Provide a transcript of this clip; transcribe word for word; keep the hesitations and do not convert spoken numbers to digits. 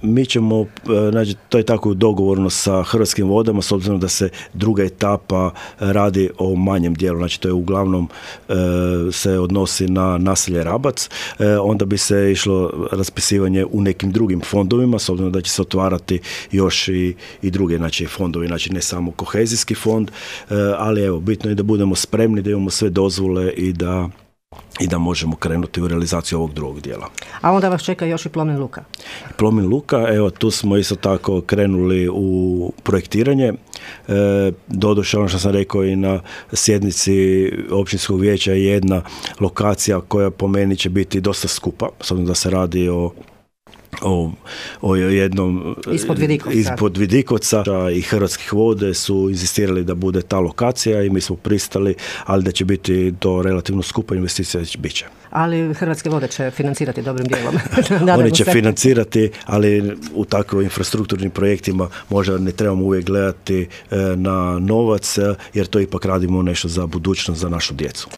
mi ćemo, znači, to je tako dogovorno sa Hrvatskim vodama, s obzirom da se druga etapa radi o manjem dijelu, znači to je uglavnom e, se odnosi na naselje Rabac, e, onda bi se išlo raspisivanje u nekim drugim fondovima, s obzirom da će se otvarati još i, i druge, znači, fondovi, znači ne samo kohezijski fond, e, ali evo, bitno je da budemo spremni, da imamo sve dozvole i da i da možemo krenuti u realizaciju ovog drugog dijela. A onda vas čeka još i Plomin luka. Plomin luka, evo, tu smo isto tako krenuli u projektiranje. E, doduše, ono što sam rekao i na sjednici općinskog vijeća, je jedna lokacija koja po meni će biti dosta skupa, s obzirom da se radi o O, o jednom ispod Vidikovca. ispod Vidikovca i Hrvatskih vode su inzistirali da bude ta lokacija i mi smo pristali, ali da će biti to relativno skupa investicija, bit će. Ali Hrvatske vode će financirati dobrim dijelom. Oni će se financirati, ali u takvim infrastrukturnim projektima možda ne trebamo uvijek gledati na novac, jer to ipak radimo nešto za budućnost, za našu djecu.